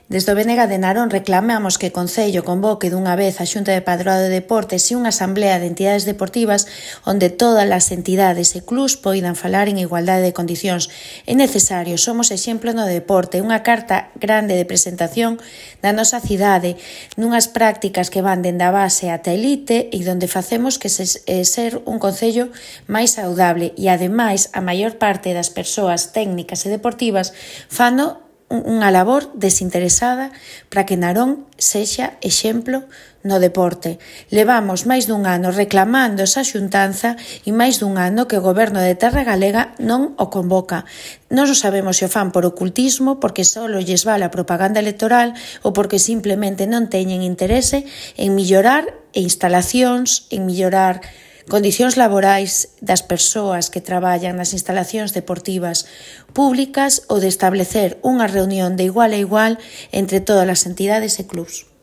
Desde o BNG de Narón reclamamos que o Concello convoque dunha vez a Xunta de Padroado de Deportes e unha asamblea de entidades deportivas onde todas as entidades e clubs poidan falar en igualdade de condicións. É necesario, somos exemplo no deporte, unha carta grande de presentación da nosa cidade, nunhas prácticas que van dende a base ata a elite e onde facemos que ser un concello máis saudable e, ademais, a maior parte das persoas técnicas e deportivas fano unha labor desinteresada para que Narón sexa exemplo no deporte. Levamos máis dun ano reclamando esa xuntanza e máis dun ano que o Goberno de Terra Galega non o convoca. Non sabemos se o fan por ocultismo, porque só lles vale a propaganda electoral ou porque simplemente non teñen interese en mellorar instalacións, en mellorar condicións laborais das persoas que traballan nas instalacións deportivas públicas ou de establecer unha reunión de igual a igual entre todas as entidades e clubs.